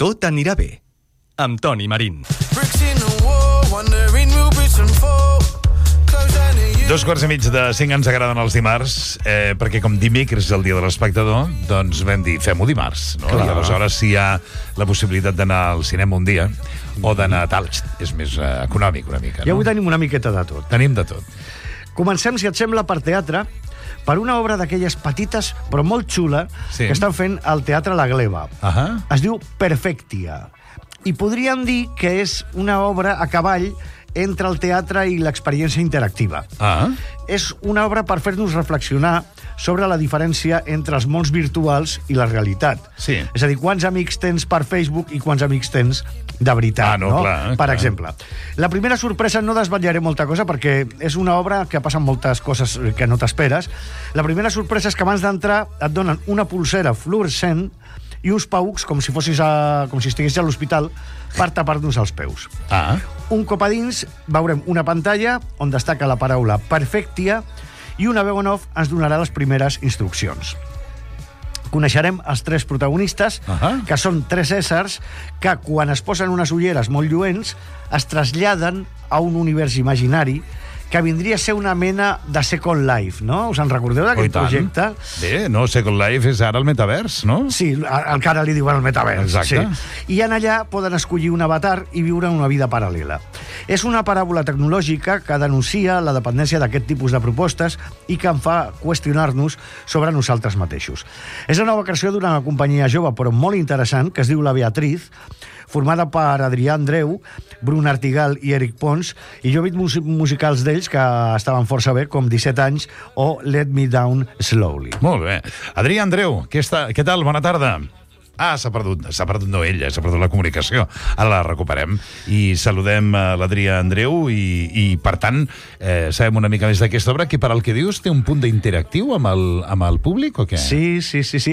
Tot anirà bé, amb Toni Marín. 2:45 ens agraden els dimarts, perquè com dimecres és el dia de l'espectador, doncs vam dir, fem-ho dimarts, no? I aleshores si hi ha la possibilitat d'anar al cinema un dia, o d'anar a tal, és més econòmic una mica, no? I avui tenim una miqueta de tot. Tenim de tot. Comencem, si et sembla, per teatre, per una obra d'aquelles petites, però molt xula, que estan fent al Teatre La Gleva. Es diu Perfectia. I podríem dir que és una obra a cavall entre el teatre i l'experiència interactiva. És una obra per fer-nos reflexionar sobre la diferència entre els mons virtuals i la realitat. Sí. És a dir, quants amics tens per Facebook i quants amics tens de veritat. Per exemple. La primera sorpresa, no desvetllaré molta cosa perquè és una obra que passen moltes coses que no t'esperes. La primera sorpresa és que abans d'entrar et donen una pulsera fluorescent i uns paucs, com si estiguessis a l'hospital, per tapar-nos els peus. Un cop a dins veurem una pantalla on destaca la paraula Perfectia i una veu en off ens donarà les primeres instruccions. Coneixerem els tres protagonistes, que són tres éssers que, quan es posen unes ulleres molt lluents, es traslladen a un univers imaginari que vindria a ser una mena de Second Life, no? Us en recordeu d'aquest projecte? Bé, no, Second Life és ara el metavers, no? Sí, encara li diuen el metavers. Exacte. I en allà poden escollir un avatar i viure una vida paral·lela. És una paràbola tecnològica que denuncia la dependència d'aquest tipus de propostes i que en fa qüestionar-nos sobre nosaltres mateixos. És la nova creació d'una companyia jove però molt interessant que es diu La Beatriz, formada per Adrià Andreu, Brun Artigal i Eric Pons, i jo he vist musicals d'ells que estaven força bé, com 17 anys o Let Me Down Slowly. Molt bé. Adrià Andreu, què tal? Bona tarda. S'ha perdut no ella, s'ha perdut la comunicació. Ara la recuperem i saludem l'Adrià Andreu i per tant, sabem una mica més d'aquesta obra, que per al que dius té un punt d'interactiu amb el públic o què? Sí.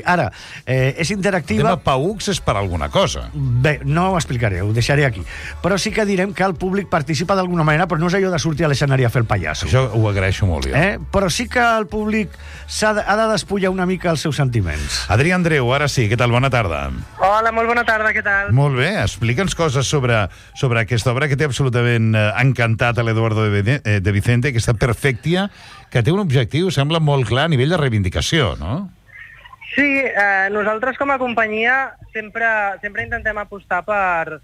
Ara, és interactiva... El tema paucs és per alguna cosa. Bé, no ho explicaré, ho deixaré aquí. Però sí que direm que el públic participa d'alguna manera, però no és allò de sortir a l'escenari a fer el pallasso. Això ho agraeixo molt, jo. Però sí que el públic ha de despullar una mica els seus sentiments. Adrià Andreu, ara sí, què tal? Bona tarda. Hola, molt bona tarda, què tal? Molt bé, explica'ns coses sobre aquesta obra que té absolutament encantat a l'Eduardo de Vicente, aquesta Perfectia, que té un objectiu, sembla molt clar, a nivell de reivindicació, no? Sí, nosaltres com a companyia sempre intentem apostar per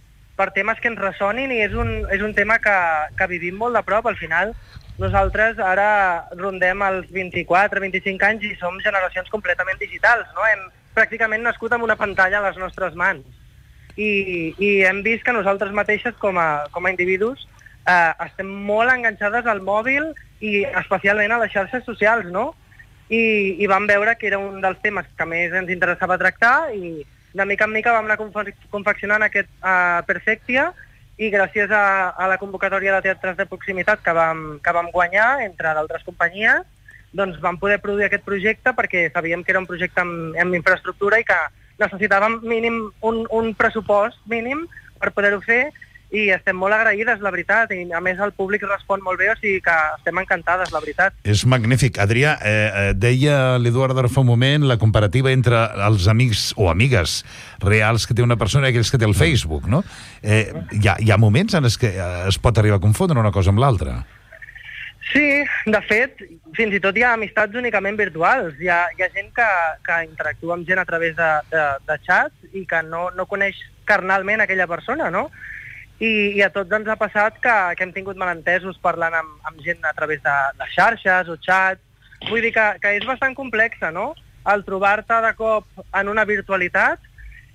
temes que ens ressonin i és un tema que vivim molt de prop. Al final, nosaltres ara rondem els 24-25 anys i som generacions completament digitals, no? Hem pràcticament nascut amb una pantalla a les nostres mans. I hem vist que nosaltres mateixes, com a individus, estem molt enganxades al mòbil i especialment a les xarxes socials, no? I vam veure que era un dels temes que més ens interessava tractar i de mica en mica vam anar confeccionant aquest Perfectia i gràcies a la convocatòria de teatres de proximitat que vam guanyar, entre d'altres companyies, doncs vam poder produir aquest projecte perquè sabíem que era un projecte amb infraestructura i que necessitàvem mínim un pressupost mínim per poder-ho fer i estem molt agraïdes, la veritat, i a més el públic respon molt bé, o sigui que estem encantades, la veritat. És magnífic. Adrià, deia l'Eduardo fa un moment la comparativa entre els amics o amigues reals que té una persona i aquells que té el Facebook, no? Hi ha moments en els que es pot arribar a confondre una cosa amb l'altra. Sí, de fet, fins i tot hi ha amistats únicament virtuals. Hi ha gent que interactua amb gent a través de xats i que no coneix carnalment aquella persona, no? I a tots ens ha passat que hem tingut malentesos parlant amb gent a través de xarxes o xats. Vull dir que és bastant complexa, no? El trobar-te de cop en una virtualitat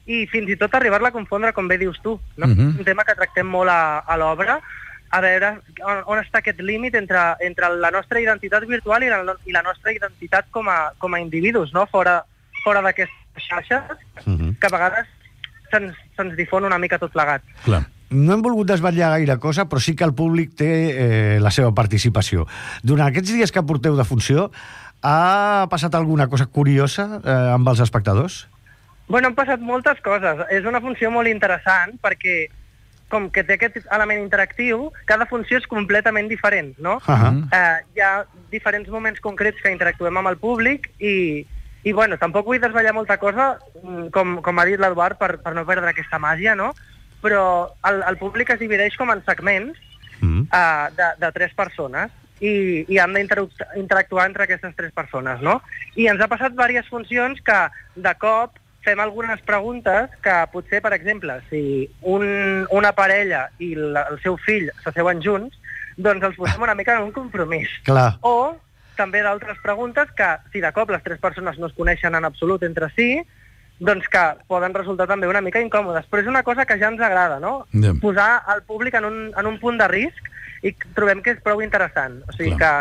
i fins i tot arribar-la a confondre, com bé dius tu, no? Un tema que tractem molt a l'obra, a veure on està aquest límit entre la nostra identitat virtual i la nostra identitat com a individus, no? Fora d'aquestes xarxes, que a vegades se'ns difon una mica tot plegat. Clar. No hem volgut desvetllar gaire cosa, però sí que el públic té la seva participació. Durant aquests dies que porteu de funció, ha passat alguna cosa curiosa amb els espectadors? Bueno, han passat moltes coses. És una funció molt interessant perquè com que té aquest element interactiu, cada funció és completament diferent, no? Hi ha diferents moments concrets que interactuem amb el públic i I, bueno, tampoc vull desvetllar molta cosa, com ha dit l'Eduard, per no perdre aquesta màgia, no? Però el públic es divideix com en segments de 3 persones i han d'interactuar entre aquestes 3 persones, no? I ens ha passat diverses funcions que, de cop, fem algunes preguntes que potser, per exemple, si una parella i el seu fill s'asseuen junts, doncs els posem una mica en un compromís. Clar. O també d'altres preguntes que, si de cop les 3 persones no es coneixen en absolut entre si, doncs que poden resultar també una mica incòmodes. Però és una cosa que ja ens agrada, no? Posar el públic en un punt de risc i trobem que és prou interessant. O sigui que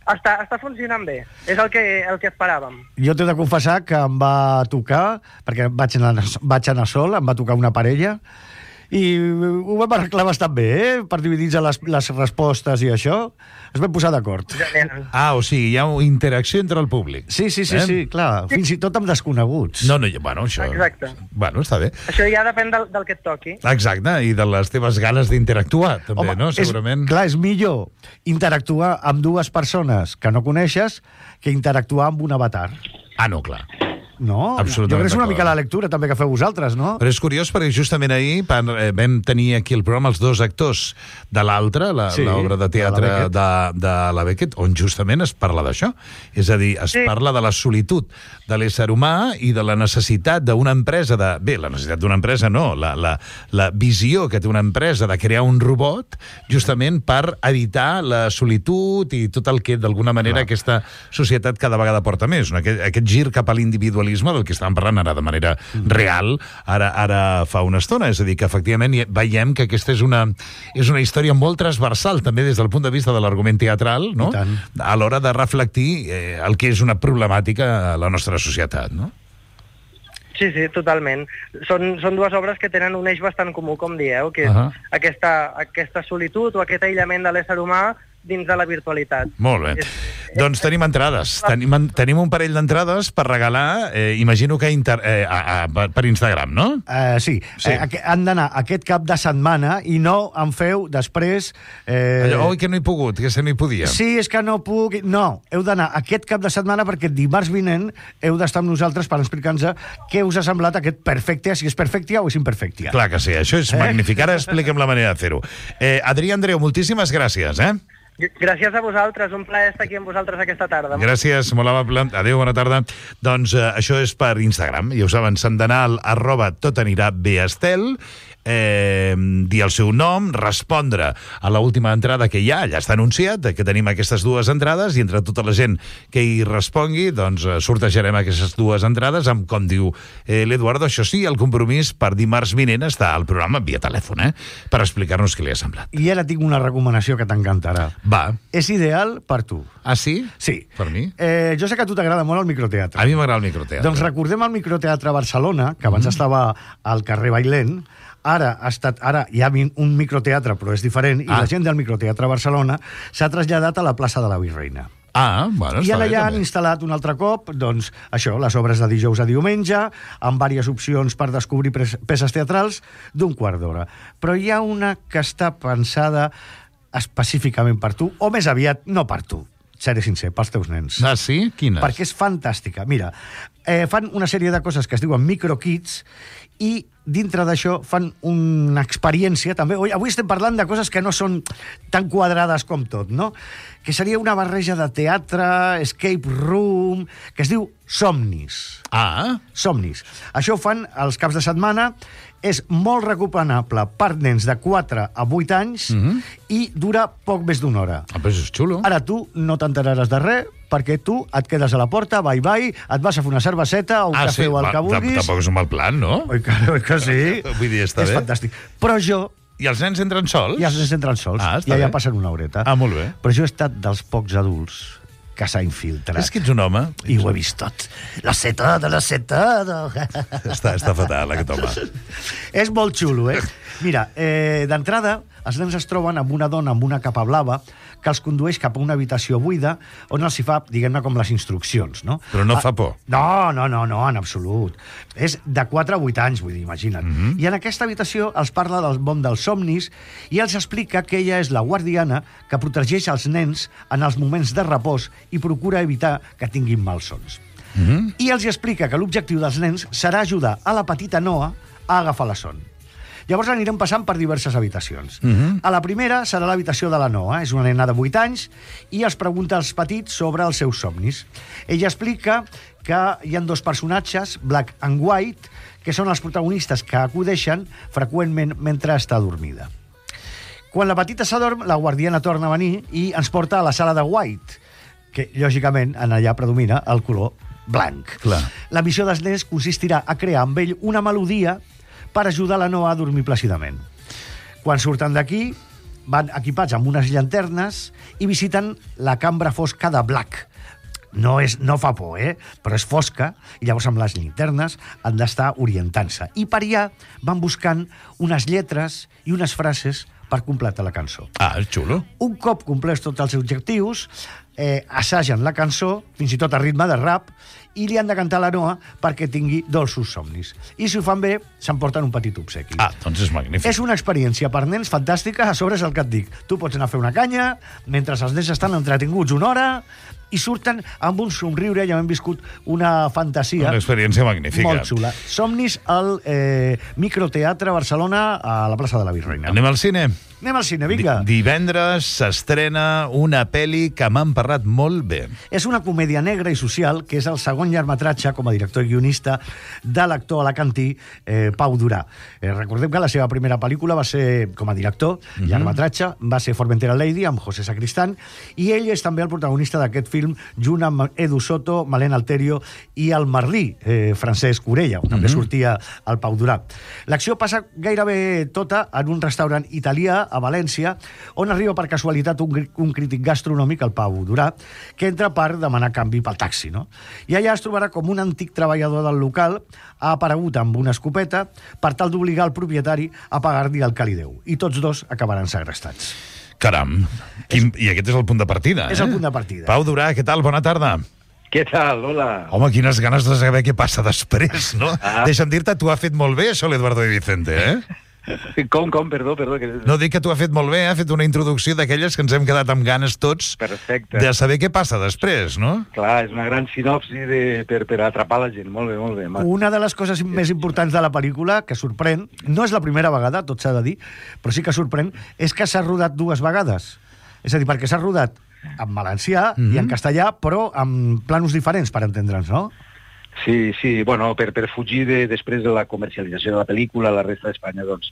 està funcionant bé. És el que esperàvem. Jo t'he de confessar que em va tocar, perquè vaig anar sol, em va tocar una parella, i ho vam arreglar bastant bé, per dividir-se les respostes i això. Es vam posar d'acord. O sigui, hi ha interacció entre el públic. Sí, clar. Fins i tot amb desconeguts. No, bueno, això... Exacte. Bueno, està bé. Això ja depèn del que et toqui. Exacte, i de les teves ganes d'interactuar, també, home, no? Segurament. És millor interactuar amb 2 persones que no coneixes que interactuar amb un avatar. No, clar. No? Jo crec que és una mica la lectura també que feu vosaltres, no? Però és curiós perquè justament ahir vam tenir aquí al programa els 2 actors de l'altre, l'obra de teatre de la Beckett, on justament es parla d'això. És a dir, es parla de la solitud de l'ésser humà i de la necessitat d'una empresa la necessitat d'una empresa no, la visió que té una empresa de crear un robot justament per evitar la solitud i tot el que d'alguna manera aquesta societat cada vegada porta més. Aquest gir cap a l'individualisme del que estàvem parlant ara de manera real, ara fa una estona. És a dir, que efectivament veiem que aquesta és una història molt transversal, també des del punt de vista de l'argument teatral, no? A l'hora de reflectir el que és una problemàtica a la nostra societat, no? Sí, totalment. Són 2 obres que tenen un eix bastant comú, com dieu, que és aquesta solitud o aquest aïllament de l'ésser humà dins de la virtualitat. Molt bé. Doncs tenim entrades. Tenim un parell d'entrades per regalar, imagino que per Instagram, no? Sí. Han d'anar aquest cap de setmana i no en feu després... que no he pogut, que no hi podia. Sí, és que no puc... No, heu d'anar aquest cap de setmana perquè dimarts vinent heu d'estar amb nosaltres per explicar-nos què us ha semblat aquest Perfectia, si és Perfectia o és Imperfectia. Clar que sí, això és magnífic. Ara expliquem la manera de fer-ho. Adrià Andreu, moltíssimes gràcies, Gràcies a vosaltres, un plaer estar aquí amb vosaltres aquesta tarda. Gràcies, molt amable. Adéu, bona tarda. Doncs això és per Instagram. Ja ho saben, s'han d'anar al @totanirabéestel, dir el seu nom, respondre a l'última entrada que hi ha, allà està anunciat, que tenim aquestes 2 entrades, i entre tota la gent que hi respongui, doncs sortejarem aquestes 2 entrades amb, com diu l'Eduardo, això sí, el compromís per dimarts vinent està al programa via telèfon, per explicar-nos què li ha semblat. I ara tinc una recomanació que t'encantarà. Va. És ideal per tu. Ah, sí? Sí. Per mi? Jo sé que a tu t'agrada molt el microteatre. A mi m'agrada el microteatre. Doncs recordem el microteatre Barcelona, que abans estava al carrer Bailén. Ara hi ha un microteatre, però és diferent, i la gent del microteatre Barcelona s'ha traslladat a la plaça de la Virreina. Bueno, I allà han instal·lat un altre cop, doncs, això, les obres de dijous a diumenge, amb diverses opcions per descobrir peces teatrals d'un quart d'hora. Però hi ha una que està pensada específicament per tu, o més aviat no per tu, seré sincer, pels teus nens. Ah, sí? Quines? Perquè és fantàstica. Mira, fan una sèrie de coses que es diuen microkids i dintre d'això fan una experiència també. Avui estem parlant de coses que no són tan quadrades com tot, no? Que seria una barreja de teatre, escape room, que es diu Somnis. Somnis. Això ho fan els caps de setmana, és molt recomanable per nens de 4 a 8 anys i dura poc més d'una hora. Però és xulo. Ara tu no t'enteraràs de res, perquè tu et quedes a la porta, bye, et vas a fer una cerveseta o un cafè o el que vulguis. Tampoc és un mal plan, no? Oi que sí. Vull dir, està bé. És fantàstic. Però jo... I els nens entren sols? I els nens entren sols. I allà passen una horeta. Molt bé. Però jo he estat dels pocs adults que s'ha infiltrat. És que ets un home. I ho he vist tot. Lo sé todo. Està fatal, aquest home. És molt xulo, Mira, d'entrada, els nens es troben amb una dona amb una capa blava que els condueix cap a una habitació buida on els hi fa, diguem-ne, com les instruccions, no? Però no fa por. No, en absolut. És de 4 a 8 anys, vull dir, imagina't. I en aquesta habitació els parla del món dels somnis i els explica que ella és la guardiana que protegeix els nens en els moments de repòs i procura evitar que tinguin malsons. i els explica que l'objectiu dels nens serà ajudar a la petita Noa a agafar la son. Llavors anirem passant per diverses habitacions. A la primera serà l'habitació de la Noa. És una nena de 8 anys i els pregunta als petits sobre els seus somnis. Ella explica que hi ha 2 personatges, Black and White, que són els protagonistes que acudeixen freqüentment mentre està dormida. Quan la petita s'adorm, la guardiana torna a venir i ens porta a la sala de White, que, lògicament, en allà predomina el color blanc. Clar. La missió dels nens consistirà a crear amb ell una melodia per ajudar la Noa a dormir plàcidament. Quan surten d'aquí, van equipats amb unes llanternes i visiten la cambra fosca de Black. No fa por, però és fosca, i llavors amb les llanternes han d'estar orientant-se. I per allà van buscant unes lletres i unes frases per completar la cançó. Ah, és xulo. Un cop complets tots els objectius, assagen la cançó, fins i tot a ritme de rap, i li han de cantar a la Noa perquè tingui dolços somnis. I si ho fan bé, s'emporten un petit obsequi. Ah, doncs és magnífic. És una experiència per nens fantàstica, a sobre és el que et dic. Tu pots anar a fer una canya, mentre els nens estan entretinguts una hora, i surten amb un somriure, ja hem viscut una fantasia. Una experiència magnífica. Molt xula. Somnis al Microteatre Barcelona, a la plaça de la Virreina. Anem al cine? Anem al cine, vinga. Divendres s'estrena una pel·li que m'han parlat molt bé. És una comèdia negra i social, que és el segon llargmetratge com a director i guionista de l'actor alacantí Pau Durà. Recordem que la seva primera pel·lícula va ser com a director, llargmetratge, va ser Formentera Lady, amb José Sacristán, i ell és també el protagonista d'aquest film, junt amb Edu Soto, Malén Alterio i el Merlí, Francesc Orella, on també sortia el Pau Durà. L'acció passa gairebé tota en un restaurant italià a València, on arriba per casualitat un crític gastronòmic, el Pau Durà, que entra per demanar canvi pel taxi, no? I allà es trobarà com un antic treballador del local ha aparegut amb una escopeta per tal d'obligar el propietari a pagar-li el que li deu. I tots dos acabaran segrestats. Caram, i aquest és el punt de partida, És el punt de partida. Pau Durà, què tal? Bona tarda. Què tal? Hola. Home, quines ganes de saber què passa després, no? Deixa'm dir-te, tu has fet molt bé això, l'Eduardo de Vicente, Com? Perdó. Que... No, dic que tu has fet molt bé, ha fet una introducció d'aquelles que ens hem quedat amb ganes tots. Perfecte. De saber què passa després, no? Clar, és una gran sinopsi per atrapar la gent. Molt bé. Una de les coses més importants de la pel·lícula, que sorprèn, no és la primera vegada, tot s'ha de dir, però sí que sorprèn, és que s'ha rodat 2 vegades. És a dir, perquè s'ha rodat en valencià i en castellà, però amb planos diferents, per entendre'ns, no? Sí, bueno, per fugir després de la comercialització de la pel·lícula a la resta d'Espanya, doncs,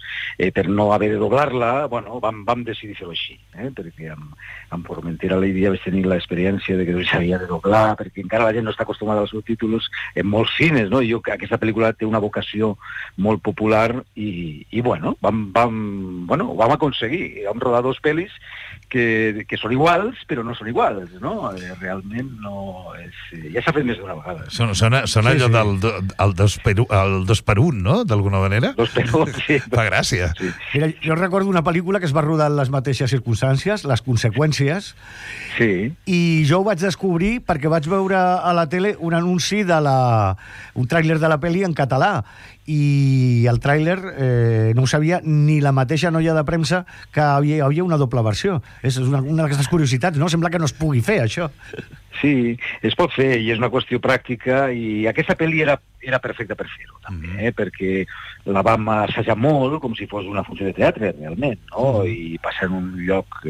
per no haver de doblar-la, bueno, vam decidir fer-ho així, perquè amb Formentera Lady vaig tenir l'experiència de que s'havia de doblar, perquè encara la gent no està acostumada als subtítols molt fines, no? I aquesta pel·lícula té una vocació molt popular i bueno, vam aconseguir, vam rodar 2 pel·lis que són iguals, però no són iguals, no? Realment no és... Ja s'ha fet més d'una vegada. Sona allò del 2 per 1, no? D'alguna manera? 2 per 1, sí. Fa gràcia. Sí. Mira, jo recordo una pel·lícula que es va rodar en les mateixes circumstàncies, Les conseqüències, sí. I jo ho vaig descobrir perquè vaig veure a la tele un anunci un tràiler de la pel·li en català, i el tràiler no ho sabia ni la mateixa noia de premsa que hi havia una doble versió. És una d'aquestes curiositats, no? Sembla que no es pugui fer, això. Sí, es pot fer, i és una qüestió pràctica, i aquesta pel·li era perfecta per fer-ho, també, perquè la vam assajar molt, com si fos una funció de teatre, realment, no? I passar en un lloc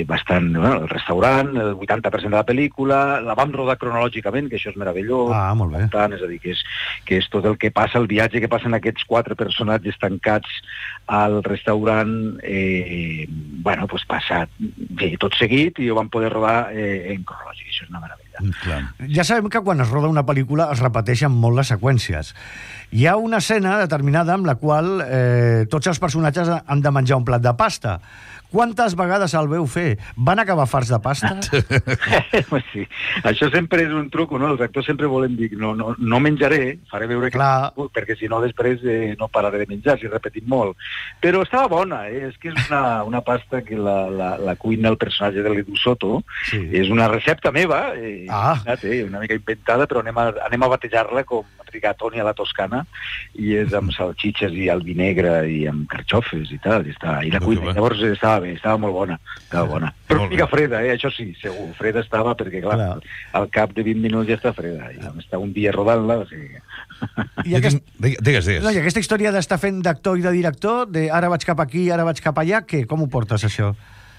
bastant... el restaurant, el 80% de la pel·lícula, la vam rodar cronològicament, que això és meravellós. Molt bé. És a dir, que és tot el que passa, el viatge que passen aquests 4 personatges tancats al restaurant, bueno, doncs passa tot seguit, i ho vam poder rodar en cronològic. Això és una meravella. Clar. Ja sabem que quan es roda una pel·lícula es repeteixen molt les seqüències. Hi ha una escena determinada amb la qual tots els personatges han de menjar un plat de pasta. Quantes vegades el veu fer? Van acabar farts de pasta? Sí. Això sempre és un truc, no? Els actors sempre volen dir no menjaré, faré veure que... perquè si no després no pararé de menjar, si repetim molt. Però estava bona, és que és una pasta que la cuina el personatge de l'Edu Soto, és una recepta meva, una mica inventada, però anem a batejar-la com rigatoni a la toscana, i és amb salxitxes i el vi negre i amb carxofes i tal, i la cuina. Llavors estava bé, estava molt bona. Però una mica freda, això sí, segur. Freda estava perquè, clar, al cap de 20 minuts ja està freda. I vam estar un dia rodant-la, o sigui... Digues. No, i aquesta història d'estar fent d'actor i de director, de ara vaig cap aquí, ara vaig cap allà, com ho portes, això?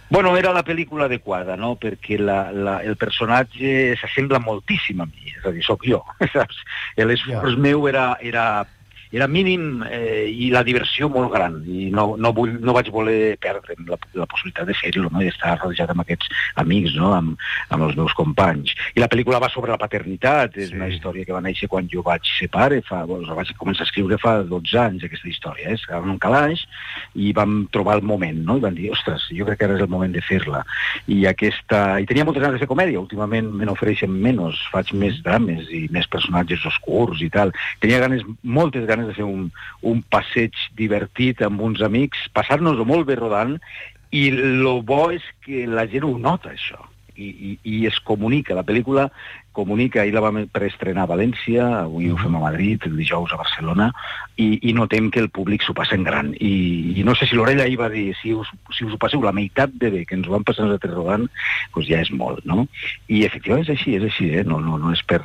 Bueno, era la pel·lícula adequada, no?, perquè el personatge s'assembla moltíssim a mi, és a dir, sóc jo, saps? L'esforç meu era mínim i la diversió molt gran, i no vaig voler perdre'm la possibilitat de fer-ho, no?, i estar rodejat amb aquests amics, no?, amb els meus companys. I la pel·lícula va sobre la paternitat, és una història que va néixer quan jo vaig ser pare, vaig començar a escriure fa 12 anys, aquesta història, estàvem en un calaix i vam trobar el moment, no?, i vam dir, ostres, jo crec que ara és el moment de fer-la. I tenia moltes ganes de fer comèdia, últimament me n'ofereixen menys, faig més drames i més personatges oscurs i tal. Tenia moltes ganes de fer un passeig divertit amb uns amics, passar-nos-ho molt bé rodant, i el bo és que la gent ho nota, això, i es comunica. La pel·lícula comunica, ahir la vam preestrenar a València, avui ho fem a Madrid, el dijous a Barcelona, i notem que el públic s'ho passa en gran. I no sé si l'Orella ahir va dir, si us ho passeu la meitat de bé que ens ho vam passar nosaltres rodant, doncs ja és molt, no? I efectivament és així, no és per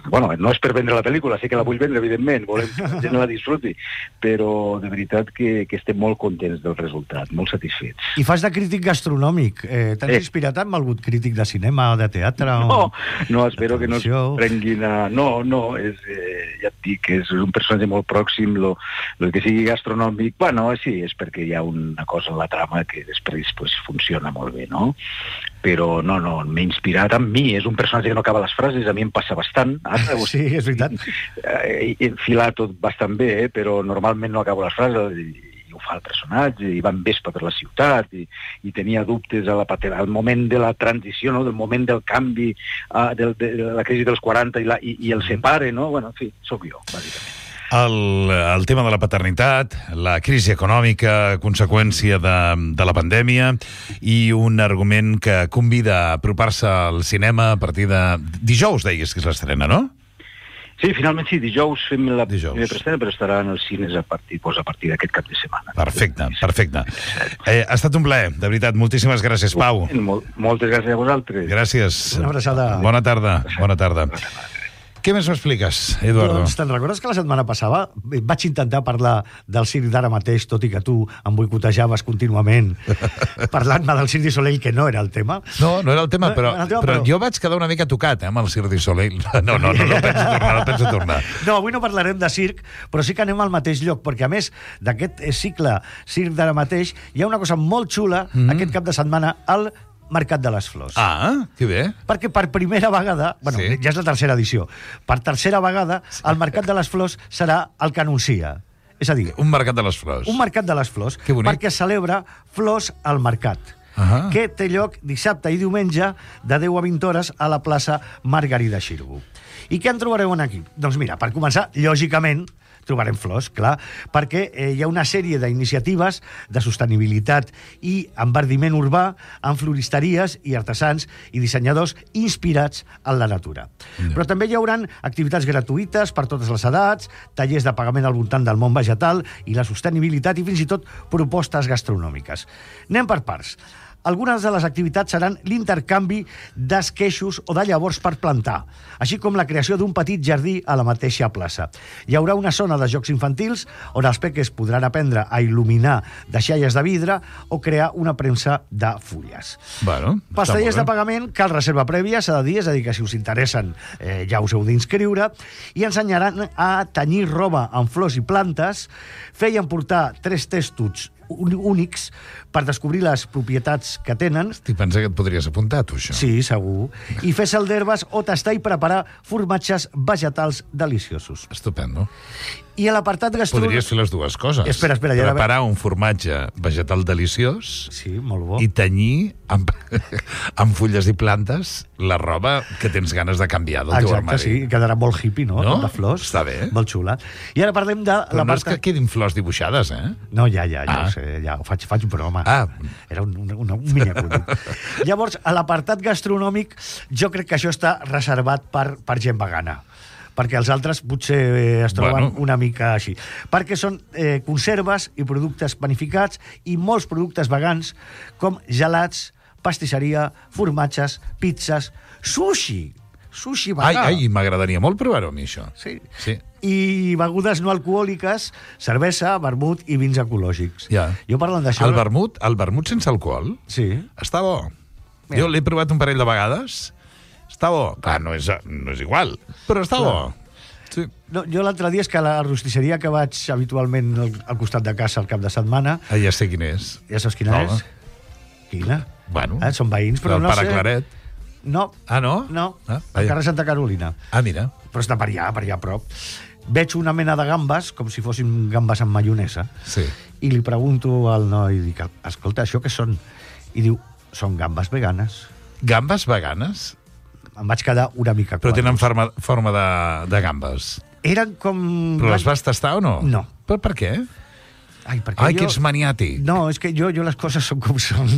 vendre la pel·lícula, sé que la vull vendre, evidentment, volem que la gent la disfruti, però de veritat que estem molt contents del resultat, molt satisfets. I fas de crític gastronòmic. T'has inspirat amb algun crític de cinema o de teatre? No, espero que no es prenguin a... No, ja et dic, és un personatge molt pròxim, el que sigui gastronòmic, sí, és perquè hi ha una cosa en la trama que després funciona molt bé, no? Però no, m'he inspirat en mi, és un personatge que no acaba les frases, a mi em passa bastant. Sí, és veritat. He enfilat tot bastant bé, però normalment no acabo les frases, i ho fa el personatge, i va en vespa per la ciutat, i tenia dubtes al moment de la transició, no?, del moment del canvi, de la crisi dels 40 i el separe, no? En fi, sóc jo, bàsicament. El tema de la paternitat, la crisi econòmica, conseqüència de la pandèmia, i un argument que convida a apropar-se al cinema a partir de... Dijous, deies que és l'estrena, no? Sí, finalment sí, dijous fem la primera preestrena, però estarà en els cines a partir d'aquest cap de setmana. Perfecte. Ha estat un plaer, de veritat. Moltíssimes gràcies, Pau. Moltes gràcies a vosaltres. Gràcies. Una abraçada. Bona tarda. Què més m'expliques, Eduardo? Doncs te'n recordes que la setmana passada vaig intentar parlar del circ d'ara mateix, tot i que tu em boicotejaves contínuament parlant-me del Cirque du Soleil, que no era el tema? No era el tema, però jo vaig quedar una mica tocat amb el Cirque du Soleil. No penso tornar. No, avui no parlarem de circ, però sí que anem al mateix lloc, perquè a més d'aquest cicle circ d'ara mateix hi ha una cosa molt xula aquest cap de setmana al Mercat de les Flors. Que bé. Perquè per primera vegada, ja és la tercera edició, per tercera vegada el Mercat de les Flors serà el que anuncia. És a dir... Un Mercat de les Flors. Un Mercat de les Flors. Que bonic. Perquè celebra Flors al Mercat, que té lloc dissabte i diumenge de 10 a 20 hores a la plaça Margarida Xirgu. I què en trobareu aquí? Doncs mira, per començar, lògicament, trobarem flors, clar, perquè hi ha una sèrie d'iniciatives de sostenibilitat i enverdiment urbà amb floristeries i artesans i dissenyadors inspirats en la natura. Però també hi haurà activitats gratuïtes per totes les edats, tallers de pagament al voltant del món vegetal i la sostenibilitat i fins i tot propostes gastronòmiques. Anem per parts. Algunes de les activitats seran l'intercanvi d'esqueixos o de llavors per plantar, així com la creació d'un petit jardí a la mateixa plaça. Hi haurà una zona de jocs infantils on els peques podran aprendre a il·luminar deixalles de vidre o crear una premsa de fulles. Pels tallers de pagament cal reserva prèvia, s'ha de dir, és a dir, que si us interessen ja us heu d'inscriure, i ensenyaran a tenyir roba amb flors i plantes, feien portar 3 testuts únics per descobrir les propietats que tenen. Estic pensant que et podries apuntar, tu, això. Sí, segur. I fer sal d'herbes o tastar i preparar formatges vegetals deliciosos. Estupendo. I a l'apartat gastronòmic... Podries fer les dues coses. Espera. Preparar un formatge vegetal deliciós. Sí, molt bo. I tenyir amb fulles i plantes la roba que tens ganes de canviar del teu armari. Exacte, sí. Quedarà molt hippie, no? No? De flors. Està bé. Molt xula. I ara parlem de... Però no és que quedin flors dibuixades, eh? No, ja ho sé, ja ho faig broma. Era un miniacudit. Llavors, a l'apartat gastronòmic, jo crec que això està reservat per gent vegana, perquè els altres potser es troben una mica així. Perquè són conserves i productes panificats i molts productes vegans, com gelats, pastisseria, formatges, pizzas, sushi vegà. Ai, m'agradaria molt provar-ho a mi, això. Sí. Sí. I begudes no alcohòliques, cervesa, vermut i vins ecològics. Ja. Jo parlant d'això... El vermut sense alcohol? Sí. Està bo. Jo l'he provat un parell de vegades. Està bo. Clar, no és igual, però està bo. Sí. No, jo l'altre dia és que a la rostisseria que vaig habitualment al costat de casa al cap de setmana... Ja sé quin és. Ja saps quina és? Quina? Bueno. Són veïns, però no sé... El Pare Claret. No. No? No, al carrer Santa Carolina. Mira. Però està per allà a prop. Veig una mena de gambes, com si fossin gambes amb maionesa, sí. I li pregunto al noi, dic, escolta, això què són? I diu, són gambes veganes. Gambes veganes? Em vaig quedar una mica Però tenen forma de gambes. Eren com... Però les vas tastar o no? No. Però per què? Ai, que ets maniàtic. No, és que jo les coses són com són.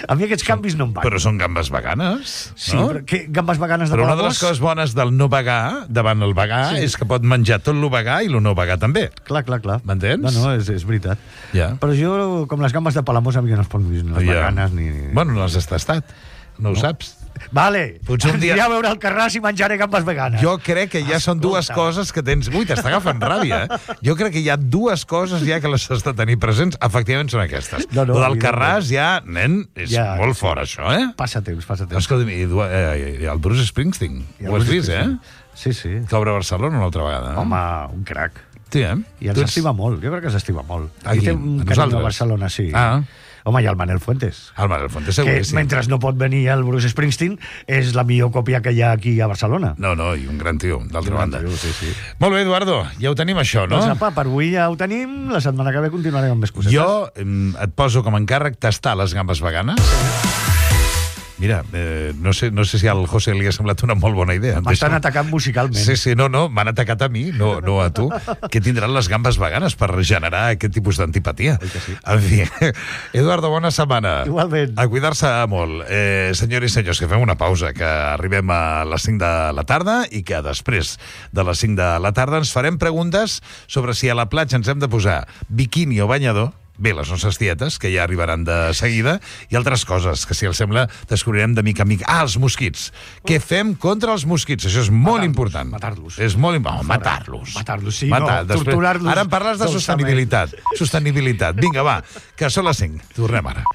A mi aquests canvis no em van. Però són gambes veganes, sí, no? Però gambes veganes de Però una de les coses bones del no vegà davant el vegà és que pot menjar tot lo vegà i lo no vegà també. Clar. M'entens? No, és veritat. Ja. Però jo, com les gambes de Palamós, a mi no es poden dir les veganes ni... Bueno, no les has tastat. No ho saps. Vale, potser un dia... a veure el Carràs i menjaré gambes veganes. Jo crec que ja són dues coses que tens... Ui, t'està agafant ràbia, eh? Jo crec que hi ha dues coses ja que les has de tenir presents. Efectivament són aquestes. No, del Carràs ja, nen, és molt fort, això, eh? Passa temps. Escolta'm, el Bruce Springsteen, ho has vist, eh? Sí. Que obre Barcelona una altra vegada. Home, un crac. Sí, eh? I ens estima molt, jo crec que s'estima molt. Aquí, té un carinyo a Barcelona, sí. Home, i el Manel Fuentes. El Manel Fuentes, seguríssim. Que mentre no pot venir el Bruce Springsteen, és la millor còpia que hi ha aquí a Barcelona. No, i un gran tio, d'altra banda. Sí. Molt bé, Eduardo, ja ho tenim això, no? Doncs apa, per avui ja ho tenim, la setmana que ve continuarem amb més cosetes. Jo et poso com a encàrrec tastar les gambes veganes. Mira, no sé si al José li ha semblat una molt bona idea. M'estan atacant musicalment. Sí, no, m'han atacat a mi, no a tu, que tindran les gambes veganes per generar aquest tipus d'antipatia. Sí. En fi, Eduardo, bona setmana. Igualment. A cuidar-se molt. Senyors i senyors, que fem una pausa, que arribem a les 5 de la tarda i que després de les 5 de la tarda ens farem preguntes sobre si a la platja ens hem de posar biquini o banyador. Bé, les nostres dietes, que ja arribaran de seguida, i altres coses, que si els sembla descobrirem de mica en mica. Els mosquits. Què fem contra els mosquits? Això és molt important. Matar-los. És molt important. Matar-los. Matar-los, sí, torturar-los. Ara em parles de sostenibilitat. Vinga, va, que són les 5. Tornem ara.